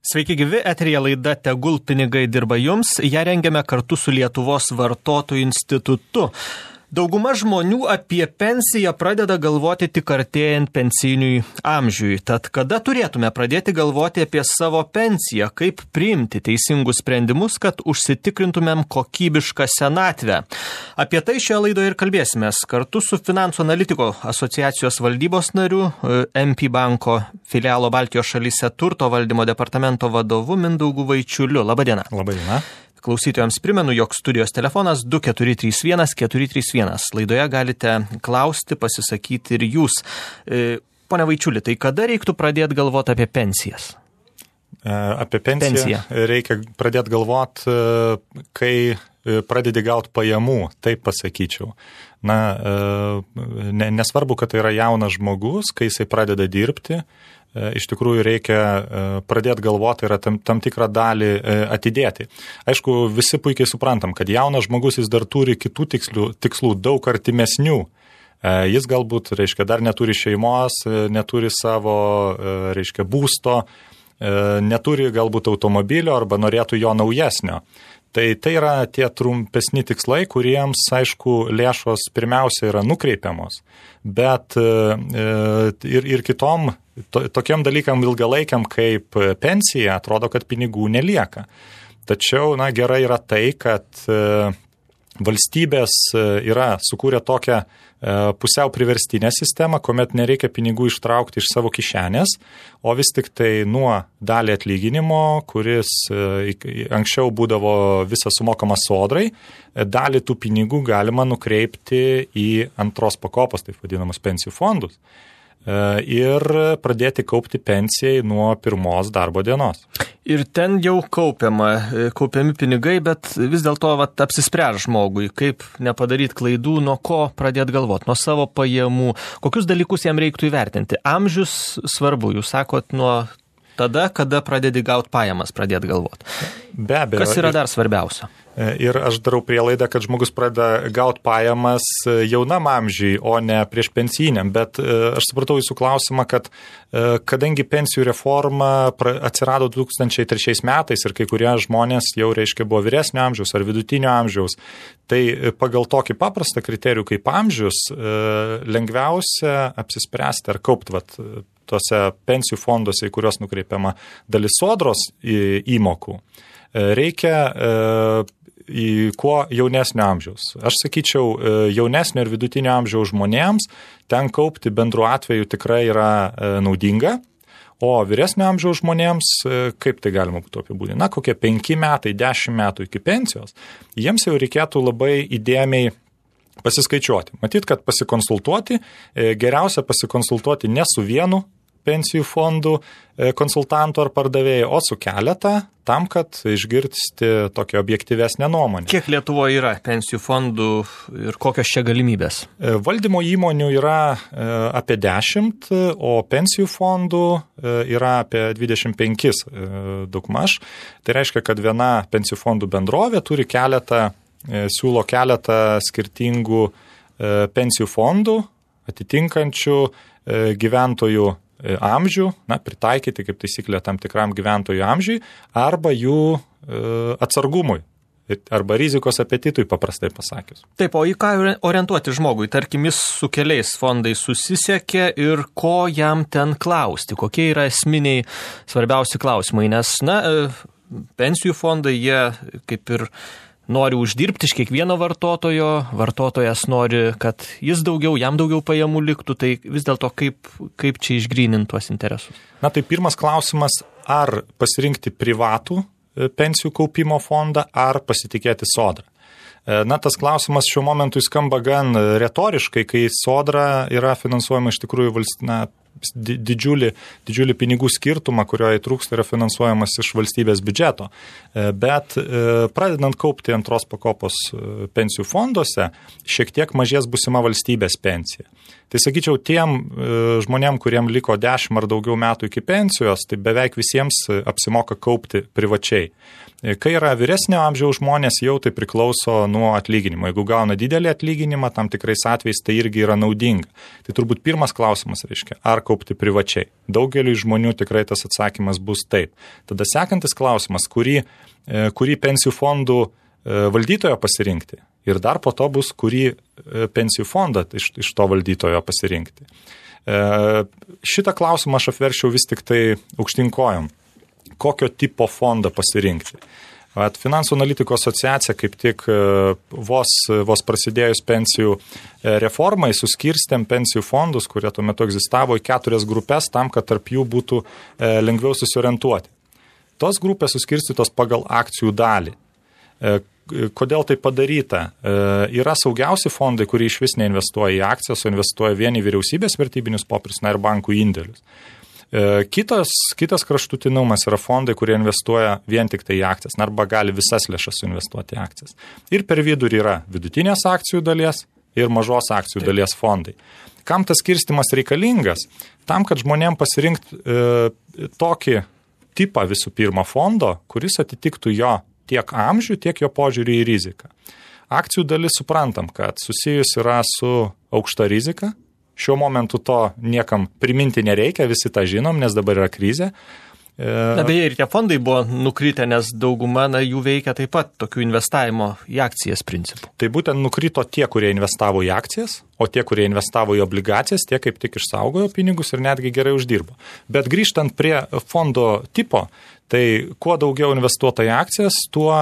Sveiki gyvi, eteryje laida Tegul pinigai dirba jums. Ją rengiame kartu su Lietuvos vartotojų institutu. Dauguma žmonių apie pensiją pradeda galvoti tik artėjant pensijiniui amžiui. Tad kada turėtume pradėti galvoti apie savo pensiją, kaip priimti teisingus sprendimus, kad užsitikrintumėm kokybišką senatvę? Apie tai šioje laidoje ir kalbėsimės kartu su Finansų analitiko asociacijos valdybos nariu, MP banko filialo Baltijos šalyse turto valdymo departamento vadovu Mindaugu Vaičiuliu. Labadiena. Labadiena. Klausytojams primenu, jog studijos telefonas 2431 431. Laidoje galite klausti, pasisakyti ir jūs. Pone Vaičiuli, tai kada reiktų pradėti galvoti apie pensijas? Apie pensiją reikia pradėti galvoti, kai pradedi gauti pajamų, taip pasakyčiau. Nesvarbu, kad tai yra jaunas žmogus, kai jisai pradeda dirbti, iš tikrųjų reikia pradėti galvoti ir tam tikrą dalį atidėti. Aišku, visi puikiai suprantam, kad jaunas žmogus jis dar turi kitų tikslų daug artimesnių. Jis galbūt, dar neturi šeimos, neturi savo, būsto, neturi galbūt automobilio arba norėtų jo naujesnio. Tai yra tie trumpesni tikslai, kuriems, aišku, lėšos pirmiausia yra nukreipiamos, bet ir kitom tokiam dalykam ilgalaikiam kaip pensija atrodo, kad pinigų nelieka. Tačiau, gerai yra tai, kad valstybės yra sukūrę tokią pusiau priverstinę sistemą, kuomet nereikia pinigų ištraukti iš savo kišenės, o vis tik tai nuo dalį atlyginimo, kuris anksčiau būdavo visas sumokamas sodrai, dalį tų pinigų galima nukreipti į antros pakopos, taip vadinamus pensijų fondus, ir pradėti kaupti pensijai nuo pirmos darbo dienos. Ir ten jau kaupiami pinigai, bet vis dėlto apsispręs žmogui, kaip nepadaryti klaidų, nuo ko pradėti galvoti, nuo savo pajamų, kokius dalykus jam reiktų įvertinti. Amžius svarbu, jūs sakot, nuo tada, kada pradedi gauti pajamas, pradėti galvoti. Be abejo. Kas yra dar svarbiausia? Ir aš darau prielaidą, kad žmogus pradeda gauti pajamas jaunam amžiui, o ne prieš pensijiniam. Bet aš supratau jūsų klausimą, kad kadangi pensijų reforma atsirado 2003 metais ir kai kurie žmonės jau buvo vyresnio amžiaus ar vidutinio amžiaus, tai pagal tokį paprastą kriterijų kaip amžius lengviausia apsispręsti ar kaupti tuose pensijų fonduose, į kuriuos nukreipiama dalis sodros įmokų. Reikia į kuo jaunesnio amžiaus. Aš sakyčiau, jaunesnio ir vidutinio amžiaus žmonėms ten kaupti bendru atveju tikrai yra naudinga, o vyresnio amžiaus žmonėms, kaip tai galima būtų apibūdinti, kokie 5 metai, 10 metų iki pensijos, jiems jau reikėtų labai įdėmiai pasiskaičiuoti. Matyt, kad pasikonsultuoti, geriausia pasikonsultuoti ne su vienu pensijų fondų konsultantų ar pardavėjų, o su keletą, tam, kad išgirsti tokią objektyvesnę nuomonę. Kiek Lietuvoje yra pensijų fondų ir kokios čia galimybės? Valdymo įmonių yra apie 10, o pensijų fondų yra apie 25 daugmaž. Tai reiškia, kad viena pensijų fondų bendrovė turi siūlo keletą skirtingų pensijų fondų, atitinkančių gyventojų amžių, pritaikyti kaip taisyklė tam tikram gyventojų amžiui, arba jų atsargumui, arba rizikos apetitui, paprastai pasakius. Taip, o į ką orientuoti žmogui? Tarkim, jis su keliais fondais susisiekė ir ko jam ten klausti? Kokie yra esminiai svarbiausi klausimai? Nes, pensijų fondai, jie kaip ir nori uždirbti iš kiekvieno vartotojo, vartotojas nori, kad jam daugiau pajamų liktų, tai vis dėlto kaip čia išgryninti tuos interesus? Tai pirmas klausimas, ar pasirinkti privatų pensijų kaupimo fondą, ar pasitikėti sodrą. Tas klausimas šiuo momentu skamba gan retoriškai, kai sodra yra finansuojama iš tikrųjų didžiulį pinigų skirtumą, kurio įtrūksta, yra finansuojamas iš valstybės biudžeto. Bet pradedant kaupti antros pakopos pensijų fonduose, šiek tiek mažės būsima valstybės pensija. Tai sakyčiau, tiem žmonėm, kuriem liko 10 ar daugiau metų iki pensijos, tai beveik visiems apsimoka kaupti privačiai. Kai yra vyresnio amžiaus žmonės, jau tai priklauso nuo atlyginimo. Jeigu gauna didelį atlyginimą, tam tikrais atvejais tai irgi yra naudinga. Tai turbūt pirmas klausimas reiškia, ar kaupti privačiai. Daugeliui žmonių tikrai tas atsakymas bus taip. Tada sekantis klausimas, kurį pensijų fondų valdytojo pasirinkti. Ir dar po to bus, kurį pensijų fondą iš to valdytojo pasirinkti. Šitą klausimą aš apverčiau vis tik tai aukštinkojom. Kokio tipo fondą pasirinkti. Finansų analitikų asociacija kaip tik vos prasidėjus pensijų reformai suskirstėm pensijų fondus, kurie tuo metu egzistavo, į 4 grupės tam, kad tarp jų būtų lengviau susiorientuoti. Tos grupės suskirstytos pagal akcijų dalį. Kodėl tai padaryta? Yra saugiausi fondai, kurie iš vis neinvestuoja į akcijas, o investuoja vien į vyriausybės vertybinius popierius, ir bankų indėlius. Kitas kraštutinumas yra fondai, kurie investuoja vien tik tai į akcijas, arba gali visas lėšas investuoti į akcijas. Ir per vidurį yra vidutinės akcijų dalies ir mažos akcijų dalies fondai. Kam tas skirstimas reikalingas? Tam, kad žmonėm pasirinkti tokį tipą visų pirma fondo, kuris atitiktų jo tiek amžių, tiek jo požiūrį į riziką. Akcijų dalis suprantam, kad susijus yra su aukšta rizika. Šiuo momentu to niekam priminti nereikia, visi tą žinom, nes dabar yra krizė. Beje, ir tie fondai buvo nukritę, nes dauguma jų veikia taip pat tokių investavimo į akcijas principų. Tai būtent nukrito tie, kurie investavo į akcijas, o tie, kurie investavo į obligacijas, tie kaip tik išsaugojo pinigus ir netgi gerai uždirbo. Bet grįžtant prie fondo tipo, tai kuo daugiau investuota į akcijas, tuo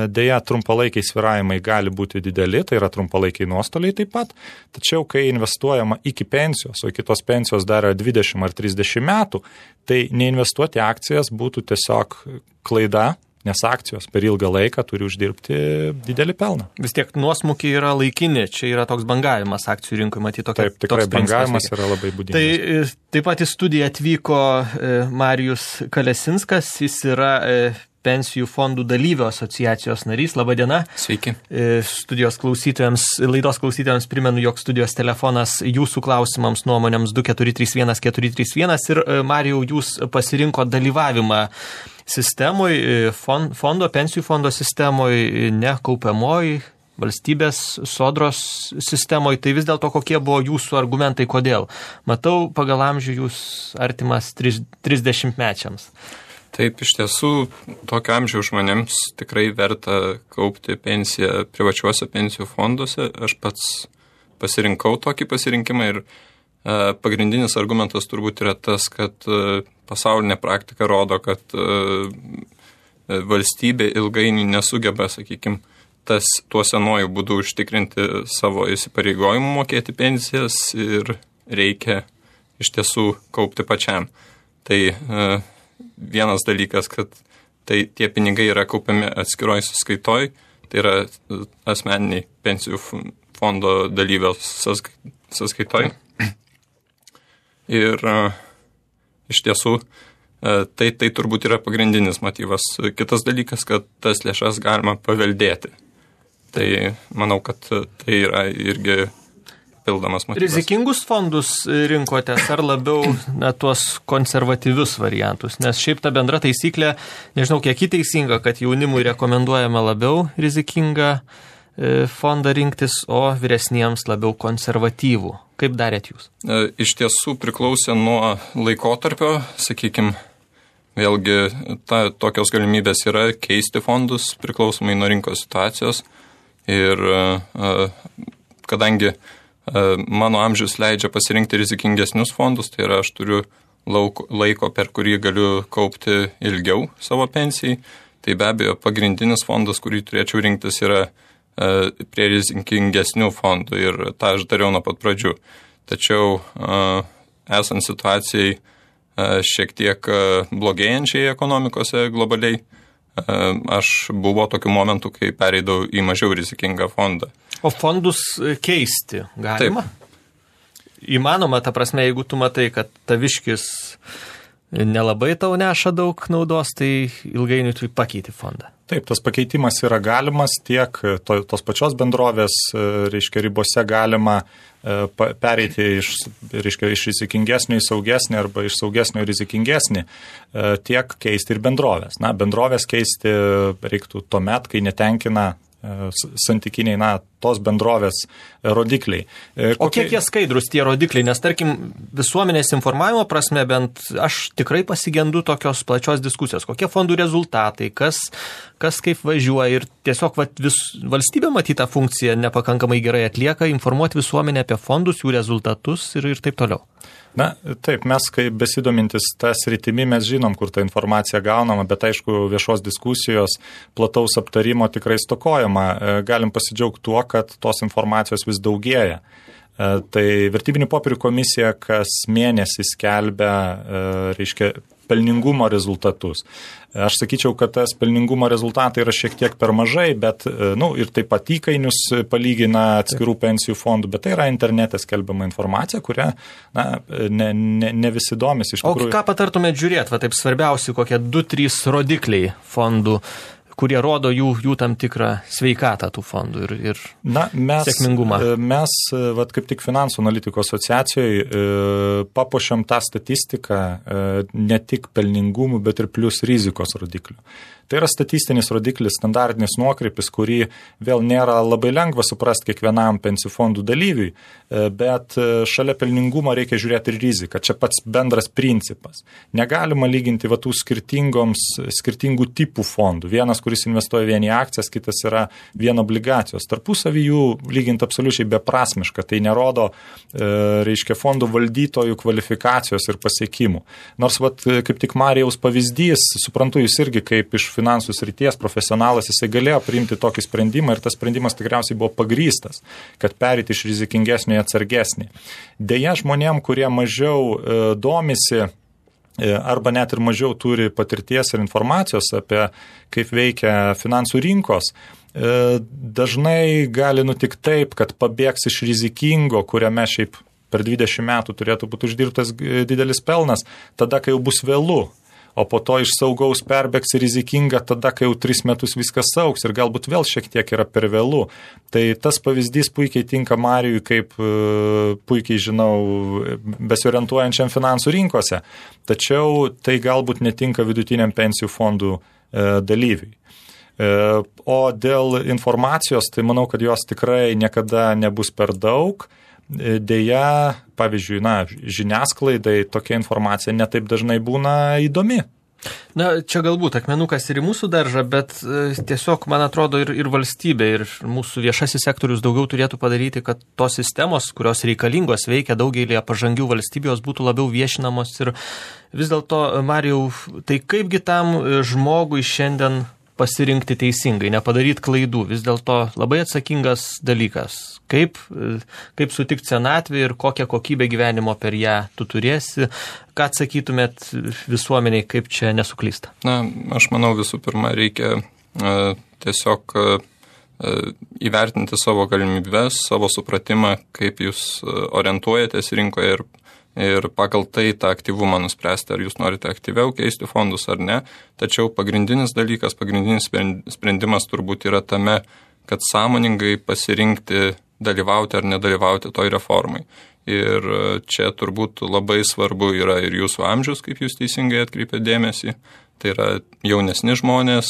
dėja trumpalaikiai svyravimai gali būti dideli, tai yra trumpalaikiai nuostoliai taip pat. Tačiau, kai investuojama iki pensijos, o iki tos pensijos dar 20 ar 30 metų, tai neinvestuoti į akcijas būtų tiesiog klaida, nes akcijos per ilgą laiką turi uždirbti didelį pelną. Vis tiek nuosmukiai yra laikini, čia yra toks bangavimas akcijų rinkoje, matyti tokia. Taip, tikrai bangavimas yra labai būdingas. Tai taip pat į studiją atvyko Marijus Kalesinskas, jis yra pensijų fondų dalyvių asociacijos narys. Labadiena. Sveiki. Laidos klausytojams primenu, jog studijos telefonas jūsų klausimams, nuomonėms 2431 ir Marijau, jūs pasirinko dalyvavimą sistemoje, pensijų fondo sistemoje, ne kaupiamoji, valstybės sodros sistemoje. Tai vis dėlto kokie buvo jūsų argumentai, kodėl? Matau, pagal amžių jūs artimas 30-mečiams. Taip, iš tiesų, tokio amžiaus žmonėms tikrai verta kaupti pensiją privačiuose pensijų fonduose. Aš pats pasirinkau tokį pasirinkimą ir pagrindinis argumentas turbūt yra tas, kad pasaulinė praktika rodo, kad valstybė ilgainiui nesugeba, sakykime, tuo senuoju būdu užtikrinti savo įsipareigojimų mokėti pensijas ir reikia iš tiesų kaupti pačiam. Tai vienas dalykas, kad tie pinigai yra kaupiami atskiroj sąskaitoj, tai yra asmeniniai pensijų fondo dalyvio sąskaitoj. Ir iš tiesų tai turbūt yra pagrindinis motyvas. Kitas dalykas, kad tas lėšas galima paveldėti. Tai manau, kad tai yra irgi pildomas motyvas. Rizikingus fondus rinkotės ar labiau tuos konservatyvius variantus? Nes šiaip ta bendra taisyklė, nežinau kiek teisinga, kad jaunimui rekomenduojama labiau rizikingą fondą rinktis, o vyresniems labiau konservatyvų. Kaip darėt jūs? Iš tiesų priklausė nuo laikotarpio, sakykime, vėlgi tokios galimybės yra keisti fondus priklausomai nuo rinkos situacijos ir kadangi mano amžius leidžia pasirinkti rizikingesnius fondus, tai yra aš turiu laiko, per kurį galiu kaupti ilgiau savo pensijai, tai be abejo pagrindinis fondas, kurį turėčiau rinktis, yra prie rizikingesnių fondų ir tą aš dariau nuo pat pradžių. Tačiau esant situacijai šiek tiek blogėjančiai ekonomikose globaliai, aš buvo tokių momentų, kai pereidau į mažiau rizikingą fondą. O fondus keisti galima? Taip. Įmanoma, ta prasme, jeigu tu matai, kad taviškis nelabai tau neša daug naudos, tai ilgainiui tu pakeiti fondą. Taip, tas pakeitimas yra galimas tiek tos pačios bendrovės, reiškia, ribose galima pereiti iš rizikingesnio į saugesnį arba iš saugesnio į rizikingesnį, tiek keisti ir bendrovės. Na, bendrovės keisti reiktų tuomet, kai netenkina santykiniai, tos bendrovės rodikliai. O kiek jie skaidrus tie rodikliai? Nes, tarkim, visuomenės informavimo prasme, bent aš tikrai pasigendu tokios plačios diskusijos. Kokie fondų rezultatai, kas kaip važiuoja ir tiesiog valstybė matytą funkciją nepakankamai gerai atlieka, informuoti visuomenę apie fondus, jų rezultatus ir taip toliau. Na, taip, mes, kaip besidomintis tą sritimi, mes žinom, kur ta informacija gaunama, bet aišku, viešos diskusijos, plataus aptarimo tikrai stokojama. Galim pasidžiaugti tuo, kad tos informacijos vis daugėja. Tai vertybinių popierių komisija kas mėnesį skelbia, reiškia, pelningumo rezultatus. Aš sakyčiau, kad tas pelningumo rezultatai yra šiek tiek per mažai, bet, ir taip pat įkainius palygina atskirų pensijų fondų, bet tai yra internete skelbiama informacija, kurią, ne visi domisi iš tikrųjų. O ką patartumėt žiūrėti, taip svarbiausi kokie 2-3 rodikliai fondų, kurie rodo jų tam tikrą sveikatą tų fondų ir sėkmingumą. Mes, kaip tik Finansų analitikų asociacijoje, papuošiam tą statistiką ne tik pelningumų, bet ir plius rizikos rodiklių. Tai yra statistinis rodiklis, standartinis nuokrypis, kurį vėl nėra labai lengva suprasti kiekvienam pensijų fondų dalyviui, bet šalia pelningumo reikia žiūrėti ir riziką. Čia pats bendras principas. Negalima lyginti tų skirtingų tipų fondų. Vienas, kuris investuoja vien į akcijas, kitas yra vien obligacijos. Tarpusavy jų lyginti absoliučiai beprasmiška. Tai nerodo, reiškia, fondų valdytojų kvalifikacijos ir pasiekimų. Nors, kaip tik Marijaus pavyzdys, suprantu, jūs irgi kaip iš finansų srities profesionalas, jisai galėjo priimti tokį sprendimą ir tas sprendimas tikriausiai buvo pagrįstas, kad perėti iš rizikingesnio į atsargesnį. Deja, žmonėm, kurie mažiau domisi arba net ir mažiau turi patirties ir informacijos apie kaip veikia finansų rinkos, dažnai gali nutikti taip, kad pabėgs iš rizikingo, kuriame šiaip per 20 metų turėtų būti uždirbtas didelis pelnas, tada, kai jau bus vėlu. O po to iš saugaus perbėgs į rizikingą tada, kai jau 3 metus viskas augs ir galbūt vėl šiek tiek yra per vėlu. Tai tas pavyzdys puikiai tinka Marijui, kaip puikiai žinau, besiorientuojančiam finansų rinkose. Tačiau tai galbūt netinka vidutiniam pensijų fondų dalyviui. O dėl informacijos, tai manau, kad jos tikrai niekada nebus per daug. Deja, pavyzdžiui, žiniasklaidai tokia informacija netaip dažnai būna įdomi. Čia galbūt akmenukas ir į mūsų daržą, bet tiesiog, man atrodo, ir valstybė, ir mūsų viešasis sektorius daugiau turėtų padaryti, kad tos sistemos, kurios reikalingos veikia daugelį pažangių valstybių, jos būtų labiau viešinamos. Ir vis dėlto, Marijau, tai kaipgi tam žmogui šiandien pasirinkti teisingai, nepadaryti klaidų, vis dėlto labai atsakingas dalykas. Kaip sutikti senatvį ir kokią kokybę gyvenimo per ją tu turėsi, ką atsakytumėt visuomeniai, kaip čia nesuklysta? Aš manau, visų pirma, reikia tiesiog įvertinti savo galimybes, savo supratimą, kaip jūs orientuojatės rinkoje ir pagal tai tą aktyvumą nuspręsti, ar jūs norite aktyviau keisti fondus ar ne. Tačiau pagrindinis dalykas, pagrindinis sprendimas turbūt yra tame, kad sąmoningai pasirinkti dalyvauti ar nedalyvauti toj reformai. Ir čia turbūt labai svarbu yra ir jūsų amžius, kaip jūs teisingai atkreipėte dėmesį. Tai yra jaunesni žmonės,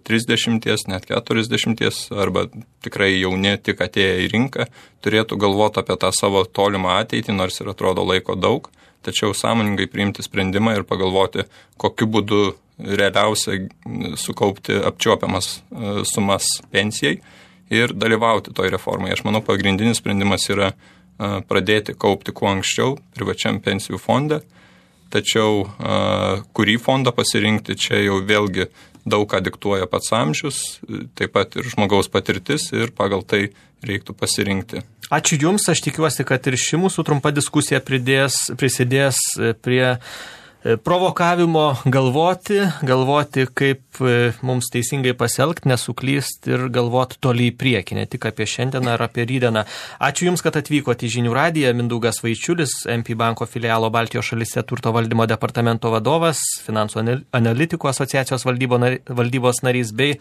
30, net 40, arba tikrai jauni tik atėję į rinką, turėtų galvoti apie tą savo tolimą ateitį, nors ir atrodo laiko daug, tačiau sąmoningai priimti sprendimą ir pagalvoti, kokiu būdu realiausia sukaupti apčiuopiamas sumas pensijai ir dalyvauti toj reformai. Aš manau, pagrindinis sprendimas yra pradėti kaupti kuo anksčiau privačiam pensijų fonde. Tačiau kurį fondą pasirinkti, čia jau vėlgi daug ką diktuoja pats amžius, taip pat ir žmogaus patirtis ir pagal tai reiktų pasirinkti. Ačiū Jums, aš tikiuosi, kad ir ši mūsų trumpa diskusija prisidės prie provokavimo galvoti, kaip mums teisingai pasielgti, nesuklysti ir galvoti toli į priekį, ne tik apie šiandieną ar apie rytdieną. Ačiū Jums, kad atvykote į Žinių radiją. Mindaugas Vaičiulis, MP banko filialo Baltijos šalyse turto valdymo departamento vadovas, Finansų analitikų asociacijos valdybos narys bei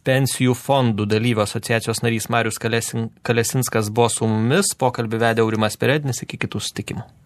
pensijų fondų dalyvių asociacijos narys Marius Kalesinskas buvo su mumis. Pokalbį vedė Aurimas Perednis. Iki kitų susitikimų.